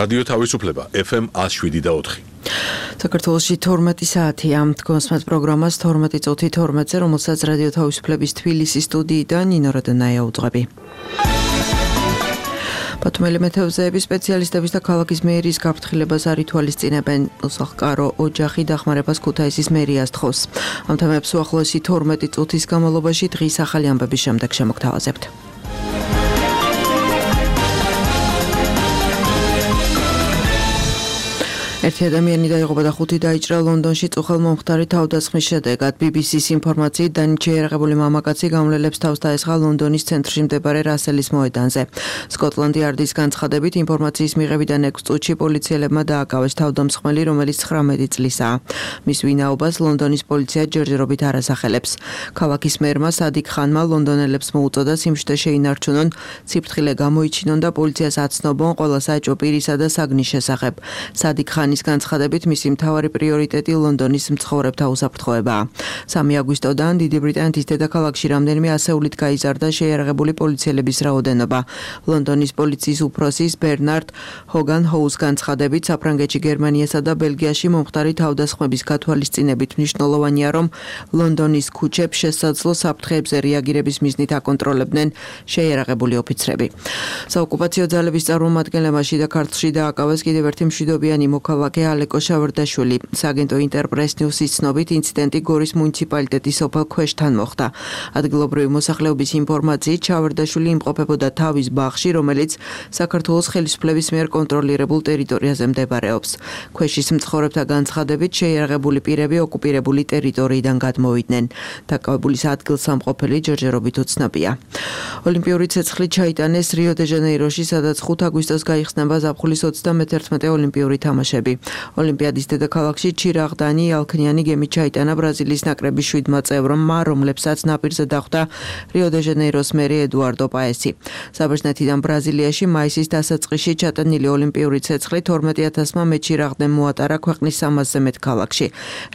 რადიო თავისუფლება FM 107.4. საქართველოში 12 საათია. გონსმათ პროგრამას 12 წუთი 12-ზე, რომელსაც რადიო თავისუფლების თბილისის სტუდიიდან ნინო როდონაია უძღვები. ბათუმელი მეთევზეების სპეციალისტების და ქალაქის მერიის გაფრთხილებას არ ითვალისწინებენ. უსახლკარო ოჯახი დახმარებას ქუთაისის მერიას თხოვს. ამ თემებს უახლოესი 12 წუთის განმავლობაში დღის ახალი ამბების შემდეგ შემოგთავაზებთ. ერთი ადამიანი დაიღუპა და 5 დაიჭრა ლონდონში წუხელმომხდარი თავდასხმის შედეგად. BBC-ს ინფორმაციით დანით შეიარაღებული მამაკაცი გამლელებს თავს დაესხა ლონდონის ცენტრში მდებარე რასელის მოედანზე. სკოტლანდი იარდის განცხადებით ინფორმაციის მიღებიდან 6 წუთში პოლიციელებმა დააკავეს თავდამსხმელი, რომელიც 19 წლისაა. მის ვინაობას ლონდონის პოლიცია ჯერჯერობით არ ასახელებს. ქალაქის მერმა სადიკ ხანმა ლონდონელებს მოუწოდა სიმშვიდე შეინარჩუნონ, სიფრთხილე გამოიჩინონ და პოლიციას აცნობონ ყველა საეჭვო პირისა და საგნის შესახებ. სადიკ ხანი ის განცხადებით მისი მთავარი პრიორიტეტი ლონდონის მცხოვრებთა უსაფრთხოებაა. 3 აგვისტოდან დიდი ბრიტანეთის დედაქალაქში რამდენიმე ასეულით გაიზარდა შეიარაღებული პოლიციელების რაოდენობა. ლონდონის პოლიციის უფროსის ბერნარდ ჰოგან ჰოუს განცხადებით საფრანგეთში, გერმანიასა და ბელგიაში მომხდარი თავდასხმების გათვალისწინებით მნიშვნელოვანია, რომ ლონდონის ქუჩებს შესაძლო საფრთხეებზე რეაგირების მიზნით აკონტროლებდნენ შეიარაღებული ოფიცრები. საოკუპაციო ძალების წარმომადგენლებმა შიდა ქართლში დააკავეს კიდევ ერთი მშვიდობიანი მოქალაქე ალეკო შავერდაშვილი. სააგენტო ინტერპრეს ნიუსის ცნობით ინციდენტი გორის მუნიციპალიტეტის სოფელ ქვეშთან მოხდა. ადგილობრივი მოსახლეობის ინფორმაციით შავერდაშვილი იმყოფებოდა თავის ბაღში, რომელიც საქართველოს ხელისუფლების მიერ კონტროლირებულ ტერიტორიაზე მდებარეობს. ქვეშის მცხოვრებთა განცხადებით შეიარაღებული პირები ოკუპირებული ტერიტორიიდან გადმოვიდნენ. დაკავებულის ადგილსამყოფელი ჯერჯერობით უცნობია. ოლიმპიური ცეცხლი ჩაიტანეს რიო-დე-ჟანეიროში, სადაც 5 აგვისტოს გაიხსნება ზაფხულის 31 ოლიმპიური თამაშები. ოლიმპიადის დედაქალაქში ჩირაღდანი ალქნიანი გემით ჩაიტანა ბრაზილიის ნაკრების 7 წევრმა, რომლებსაც ნაპირზე დახვდა რიო-დე-ჟანეიროს მერი ედუარდო პაესი. საბერძნეთიდან ბრაზილიაში მაისის დასაწყისში ჩატანილი ოლიმპიური ცეცხლი 12,000-მა მეჩირაღდნემ მოატარა ქვეყნის 300-ზე მეტ ქალაქში.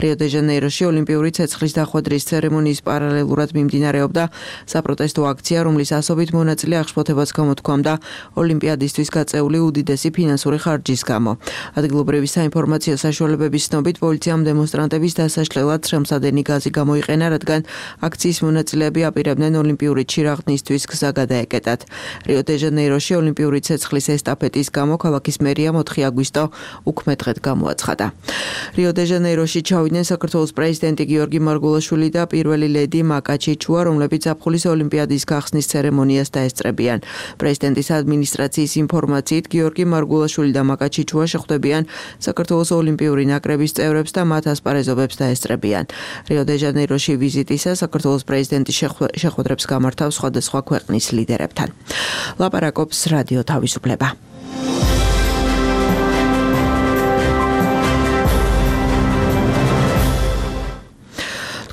რიო-დე-ჟანეიროში ოლიმპიური ცეცხლის დახვედრის ცერემონიის პარალელურად მიმდინარეობდა საპროტესტო აქცია, რომლის ასობით მონაწილე აღშფოთებას გამოთქვამდა ოლიმპიადისთვის გაწეული უდიდესი ფინანსური ხარჯის გამო. ადგილობრივი საინფორმაციო საშუალებების ცნობით პოლიციამ დემონსტრანტების დასაშლელად სრემსადენი გაზი გამოიყენა, რადგან აქციის მონაწილეები აპირებდნენ ოლიმპიური ჩირაღდნისთვის გზა გადაეკეტათ. რიო-დე-ჟანეიროში ოლიმპიური ცეცხლის ესტაფეტის გამო ქალაქის მერია 4 აგვისტო უქმე-დღედ გამოაცხადა. რიო-დე-ჟანეიროში ჩავიდნენ საქართველოს პრეზიდენტი გიორგი მარგულაშვილი და პირველი ლედი მაკა ჩიჩუა, რომლებიც ზაფხულის ოლიმპიადის გახსნის ცერემონიას დაესწრებიან. პრეზიდენტის ადმინისტრაციის ინფორმაციით გიორგი მარგულაშვილი და მაკა ჩიჩუა შეხვდებიან საქართველოს ოლიმპიური ნაკრების წევრებს და მათ ასპარეზობებს დაესწრებიან. რიო-დე-ჟანეიროში ვიზიტისას საქართველოს პრეზიდენტი შეხვედრებს გამართავს სხვადასხვა ქვეყნის ლიდერებთან. ლაპარაკობს რადიო თავისუფლება.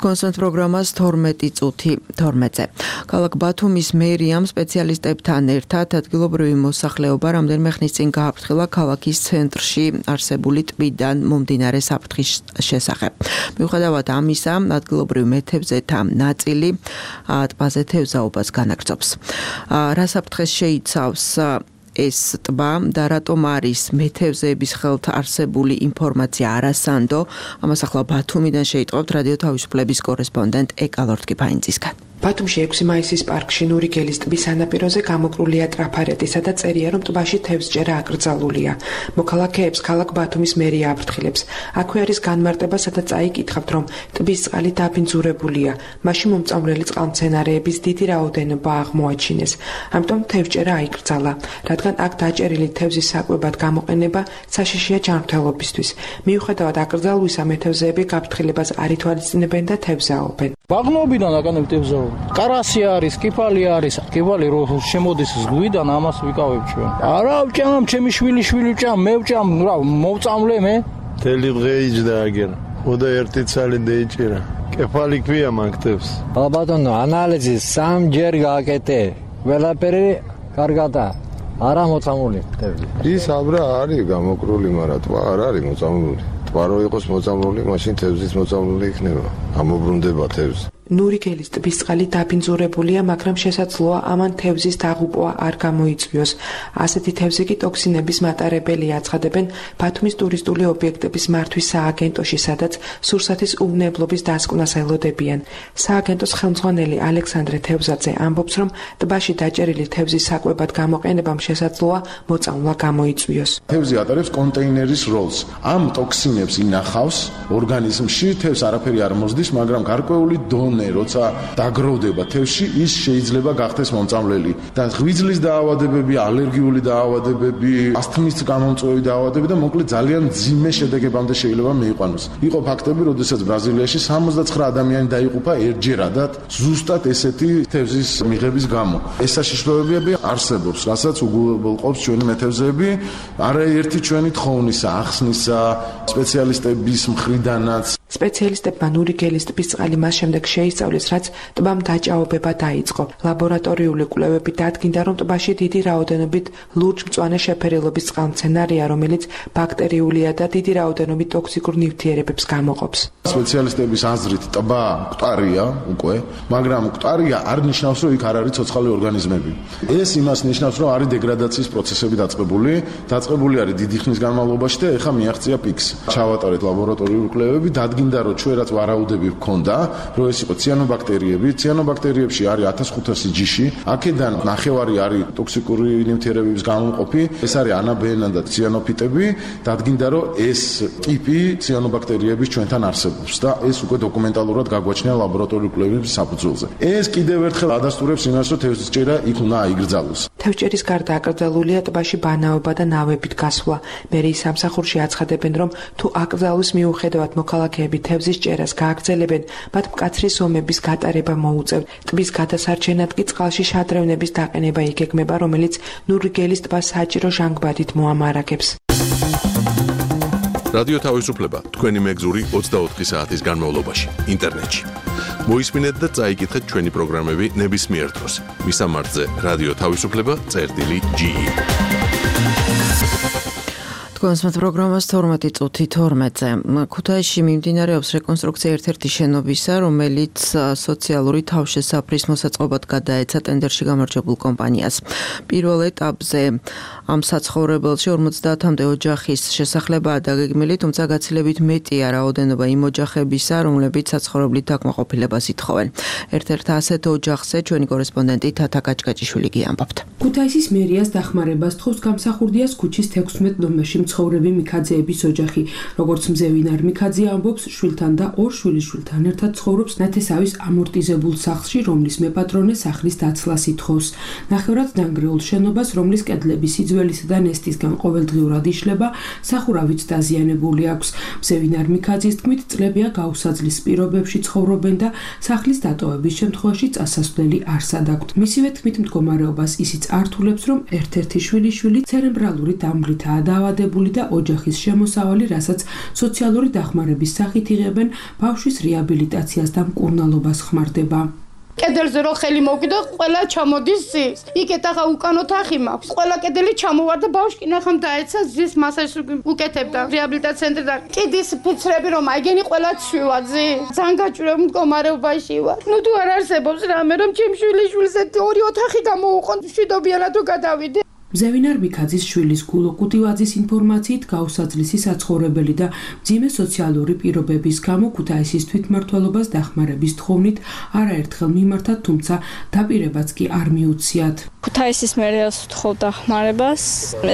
გონსმათ პროგრამას 12 წუთი 12-ზე. ქალაქ ბათუმის მერიამ სპეციალისტებთან ერთად ადგილობრივი მოსახლეობა რამდენიმე ხნის წინ გააფრთხილა ქალაქის ცენტრში არსებული ტბიდან მომდინარე საფრთხის შესახებ. მიუხედავად ამისა, ადგილობრივი მეთევზეთა ნაწილი ტბაზე თევზაობას განაგრძობს. რა საფრთხეს შეიცავს ეს ტბა და რატომ არის მეთევზეების ხელთ არსებული ინფორმაცია არასანდო? ამას ახლა ბათუმიდან შეიტყობთ რადიო თავისუფლების კორესპონდენტ ეკა ლორთკიფაინძისგან. ბათუმში 6 მაისის პარკში ნურიგელის ტბის სანაპიროზე გამოყრულია ტრაფარეტი, სადაც წერია, რომ ტბაში თევზჭერა აკრძალულია. მოქალაქეებს ქალაქ ბათუმის მერია აფრთხილებს. აქვე არის განმარტება, სადაც აიკითხავთ, რომ ტბის წყალი დაბინძურებულია. მაშინ მომწამლელი წყალმცენარეების დიდი რაოდენობა აღმოაჩინეს. ამიტომ თევზჭერა აიკრძალა, რადგან აქ დაჭერილი თევზის საკვებად გამოყენება საშიშია ჯანმრთელობისთვის. მიუხედავად აკრძალვისა, მეთევზეები გაფრთხილებას არ ითვალისწინებენ და თევზაობენ. ბაღნობიდან აკანებ თევზაობა. კარასი არის, კიფალი არის. კიფალი რო შემოდის ზღვიდან, ამას ვიკავებ ჩვენ. არა ვჭამ, ჩემი შვილი ვჭამ, მე ვჭამ, რა მოვწამლე მე. თელი დღე იჯდა აგერ. ხოდა ერთი ცალი დაიჭირა. კიფალი ქვია მაგთებს. ბატონო, ანალიზი 3 ჯერ გააკეთე. ყველაფერი კარგადაა. არა მოწამული თევზი. ის აბრა არის გამოყრული, მაგრამ თვა არ არის მოწამული. ტბა რო იყოს მოწამლული, მაშინ თევზის მოწამლული იქნება. ამობრუნდება თევზი. ნურიგელის ტბის წყალი დაბინძურებულია, მაგრამ შესაძლოა ამან თევზის დაღუპვა არ გამოიწვიოს. ასეთი თევზი კი ტოქსინების მატარებელია, აცხადებენ ბათუმის ტურისტული ობიექტების მართვის სააგენტოში, სადაც სურსათის უვნებლობის დასკვნას ელოდებიან. სააგენტოს ხელმძღვანელი ალექსანდრე თევზაძე ამბობს, რომ ტბაში დაჭერილი თევზის საკვებად გამოყენებამ შესაძლოა მოწამვლა გამოიწვიოს. თევზი ატარებს კონტეინერის როლს. ამ ტოქსინებს ინახავს ორგანიზმში, თევზს არაფერი არ მოსდის, მაგრამ გარკვეული როცა დაგროვდება თევზში, ის შეიძლება გახდეს მომწამლელი. და ღვიძლის დაავადებები, ალერგიული დაავადებები, ასთმის გამომწვევი დაავადებები და მოკლედ ძალიან მძიმე შედეგებამდე შეიძლება მიიყვანოს. იყო ფაქტები, როდესაც ბრაზილიაში 79 ადამიანი დაიღუპა ერთჯერადად ზუსტად ესეთი თევზის მიღების გამო. ეს საშიშროებები არსებობს, რასაც უგულყოფს ჩვენი მეთევზეები, არაერთი ჩვენი თხოვნისა, ახსნისა, სპეციალისტების მხრიდანაც. სპეციალისტებმა ნურიგელის ტბის წყალი მას შემდეგ შეისწავლეს, რაც ტბამ დაჭაობება დაიწყო. ლაბორატორიული კვლევები დადგინდა, რომ ტბაში დიდი რაოდენობით ლურჯ-მწვანე შეფერილობის წყალმცენარეა, რომელიც ბაქტერიულია და დიდი რაოდენობით ტოქსიკურ ნივთიერებებს გამოყოფს. სპეციალისტების აზრით ტბა მკვდარია უკვე, მაგრამ მკვდარია არ ნიშნავს, რომ იქ არ არის ცოცხალი ორგანიზმები. ეს იმას ნიშნავს, რომ არის დეგრადაციის პროცესები დაწყებული არის დიდი ხნის განმავლობაში და ეხლა მიაღწია პიკს. ჩავატარეთ ლაბორატორიული კვლევები, დადგინდა, რომ ჩვენ რაც ვარაუდები გვქონდა, რომ ეს იყო ციანობაქტერიები. ციანობაქტერიებში არის 1500 ჯიში. აქედან ნახევარი არის ტოქსიკური ნივთიერებების გამომყოფი. ეს არის ანაბენა და ციანოფიტები. დადგინდა, რომ ეს ტიპი ციანობაქტერიების ჩვენთან არსებობს და ეს უკვე დოკუმენტალურად გაგვაჩნია ლაბორატორიული კვლევების საფუძველზე. ეს კიდევ ერთხელ ადასტურებს იმას, რომ თევზჭერა იქ უნდა აიგრძალოს. თევზჭერის გარდა აკრძალულია ტბაში ბანაობა და ნავებით გასვლა. მერიის სამსახურში აცხადებენ, რომ თუ აკრძალვის მიუხედავად მოქალაქეები თევზის ჭერას გააგრძელებენ, მათ მკაცრი ზომების გატარება მოუწევთ. ტბის გადასარჩენად კი წყალში შადრევნების დაყენება იგეგმება, რომელიც ნურიგელის ტბას საჭირო ჟანგბადით მოამარაგებს. რადიო თავისუფლება თქვენი მეგზური 24 საათის განმავლობაში ინტერნეტში. მოისმინეთ და წაიკითხეთ ჩვენი პროგრამები ნებისმიერ დროს. მისამართზე რადიო თავისუფლება.ge კონსმეთ პროგრამას 12 წუთი 12-ზე. ქუთაისში მიმდინარეობს რეკონსტრუქცია ერთ-ერთი შენობისა, რომელიც სოციალური თავშესაფრის მოსაწყობად გადაეცა ტენდერში გამარჯვებულ კომპანიას. პირველ ეტაპზე ამ საცხოვრებელში 50-მდე ოჯახის შესახლებაა დაგეგმილი, თუმცა გაცილებით მეტია რაოდენობა იმ ოჯახებისა, რომლებიც საცხოვრებლით დაკმაყოფილებას ითხოვენ. ერთ-ერთ ასეთ ოჯახზე ჩვენი კორესპონდენტი თათა კაჭკაჭიშვილი გიამბობთ. ქუთაისის მერიას დახმარებას თხოვს გამსახურდიას ქუჩის 16 ნომერში მცხოვრები მიქაძეების ოჯახი. როგორც მზევინარ მიქაძე ამბობს, შვილთან და ორ შვილიშვილთან ერთად ცხოვრობს ნათესავის ამორტიზებულ სახლში, რომლის მეპატრონე სახლის დაცლას ითხოვს. ნახევრად დანგრეულ შენობას, რომლის კედლები სიძველისა და ნესტისგან ყოველდღიურად იშლება, სახურავით დაზიანებული აქვს. მზევინარ მიქაძის თქმით, წლებია გაუსაძლის პირობებში ცხოვრობენ და სახლის დატოვების შემთხვევაში წასასვლელი არსად აქვთ. მისივე თქმით, მდგომარეობას ისიც ართულებს, რომ ერთ-ერთი შვილიშვილი ცერებრალური დამბლითაა დაავადებული და ოჯახის შემოსავალი, რასაც სოციალური დახმარების სახით იღებენ, ბავშვის რეაბილიტაციას და მკურნალობას ხმარდება. კედელზე რო ხელი მოვკიდო, ყველა ჩამოდის ზის. იქეთ ახლა უკანო თახი მაქვს. ყველა კედელი ჩამოვარდა, ბავშვი ნახამ დაეცა ზის მასაჟს უკეთებდა რეაბილიტაციის ცენტრიდან. კიდის ფიცრები რომ აიგენი ყველა ცვივა ზის. ძალიან გაჭირვებული მდგომარეობაში ვარ. ნუ თუ არ არსებობს რამე რომ ჩემ შვილიშვილს ორი ოთახი გამოუყონ, მშვიდობიანად თუ გადავიდე. მზევინარ მიქაძის შვილის გულო კუტივაძის ინფორმაციით გაუსაძლისი საცხოვრებელი და მძიმე სოციალური პირობების გამო ქუთაისის თვითმმართველობას დახმარების თხოვნით არაერთხელ მიმართა, თუმცა დაპირებაც კი არ მიუციათ. ქუთაისის მერიას ვთხოვ დახმარებას.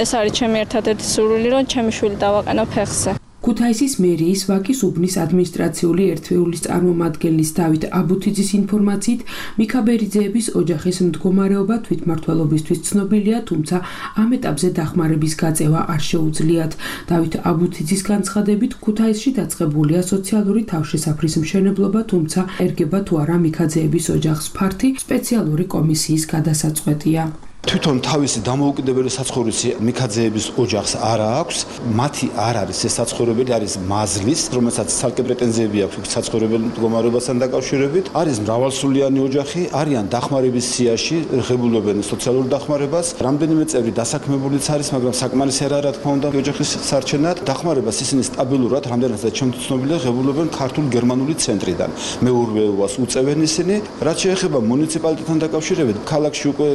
ეს არის ჩემი ერთადერთი სურვილი, რომ ჩემი შვილი დავაყენო ფეხზე. ქუთაისის მერიის ვაკის უბნის ადმინისტრაციული ერთეულის წარმომადგენლის დავით აბუთიძის ინფორმაციით, მიქაბერიძეების ოჯახის მდგომარეობა თვითმმართველობისთვის ცნობილია, თუმცა ამ ეტაპზე დახმარების გაწევა არ შეუძლიათ. დავით აბუთიძის განცხადებით, ქუთაისში დაწყებულია სოციალური თავშესაფრის მშენებლობა, თუმცა ერგება თუ არა მიქაძეების ოჯახს ფართი სპეციალური კომისიის გადასაწყვეტია. თვითონ თავისი დამოუკიდებელი საცხოვრისი მიქაძეების ოჯახს არ აქვს, მათი არ არის ეს საცხოვრებელი, არის მაზლის, რომელსაც ცალკე პრეტენზიები აქვს საცხოვრებელი მდგომარეობასთან დაკავშირებით, არის მრავალსულიანი ოჯახი, არიან დახმარების სიაში, ღებულობენ სოციალურ დახმარებას, რამდენიმე წევრი დასაქმებულიც არის, მაგრამ საკმარისი არა, რა თქმა უნდა, ოჯახის სარჩენად. დახმარებას ისინი სტაბილურად, რამდენადაც ჩემთვის ცნობილია, ღებულობენ ქართულ-გერმანული ცენტრიდან. მეურვეობას უწევენ ისინი, რაც შეეხება მუნიციპალიტეტთან დაკავშირებით, ქალაქში უკვე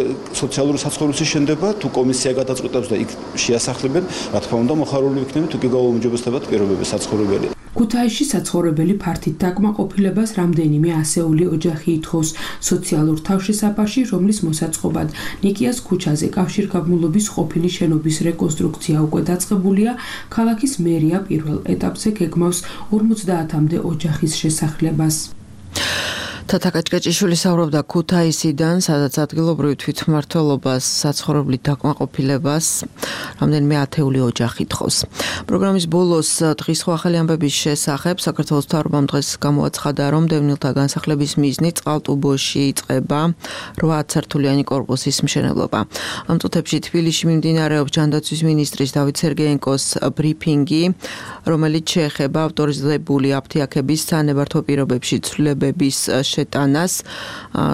სოციალური საცხოვრისი შენდება, თუ კომისია გადაწყვეტავს და იქ შეასახლებენ, რა თქმა უნდა, მოხარული ვიქნებით, თუ კი გაუმჯობესდებათ პირობები საცხოვრებელი. ქუთაისში საცხოვრებელი ფართით დაკმაყოფილებას რამდენიმე ასეული ოჯახი ითხოვს სოციალურ თავშესაფარში, რომლის მოსაწყობად ნიკიას ქუჩაზე კავშირგაბმულობის ყოფილი შენობის რეკონსტრუქცია უკვე დაწყებულია, ქალაქის მერია პირველ ეტაპზე გეგმავს 50-მდე ოჯახის შესახლებას. თათა კაჭკაჭიშვილი საუბრობდა ქუთაისიდან, სადაც ადგილობრივი თვითმმართველობას საცხოვრებლით დაკმაყოფილებას რამდენიმე ათეული ოჯახი თხოვს. პროგრამის ბოლოს დღის სხვა ახალი ამბების შესახებ საქართველოს მთავრობამ დღეს გამოაცხადა, რომ დევნილთა განსახლების მიზნით წყალტუბოში იწყება 8 სართულიანი კორპუსის მშენებლობა. ამ წუთებში თბილისში მიმდინარეობს ჯანდაცვის მინისტრის დავით სერგეენკოს ბრიფინგი, რომელიც შეეხება ავტორიზებული აფთიაქების სანებართვო პირობებში ცვლილებების შეტანას.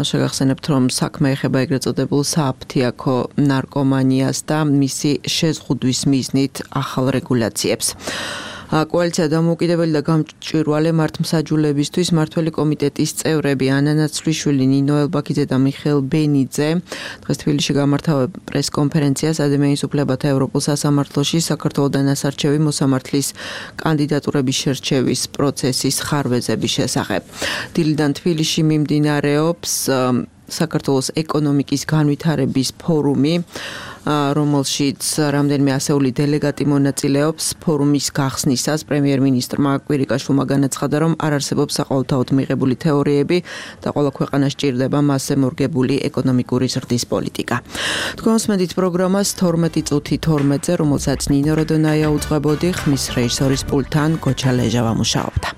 შეგახსენებთ, რომ საქმე ეხება ეგრეთ წოდებულ სააფთიაქო ნარკომანიას და მისი შეზღუდვის მიზნით ახალ რეგულაციებს. კოალიცია დამოუკიდებელი და გამჭვირვალე მართლმსაჯულებისთვის მმართველი კომიტეტის წევრები ანა ნაცვლიშვილი, ნინო ელბაქიძე და მიხეილ ბენიძე დღეს თბილისში გამართა პრესკონფერენციას ადამიანის უფლებათა ევროპულ სასამართლოში საქართველოდან ასარჩევი მოსამართლის კანდიდატურების შერჩევის პროცესის ხარვეზების შესახებ. დილიდან თბილისში მიმდინარეობს საქართველოს ეკონომიკის განვითარების ფორუმი, რომელშიც რამდენიმე ასეული დელეგატი მონაწილეობს. ფორუმის გახსნისას პრემიერ-მინისტრმა კვირიკაშვილმა განაცხადა, რომ არ არსებობს საყოველთაოდ მიღებული თეორიები და ყველა ქვეყანას სჭირდება მასზე მორგებული ეკონომიკური ზრდის პოლიტიკა. თქვენ უსმენთ პროგრამას 12 წუთი 12-ზე, რომელსაც ნინო როდონაია უძღვებოდი, ხმის რეჟისორის პულტთან გოჩა ლეჟავა მუშაობდა.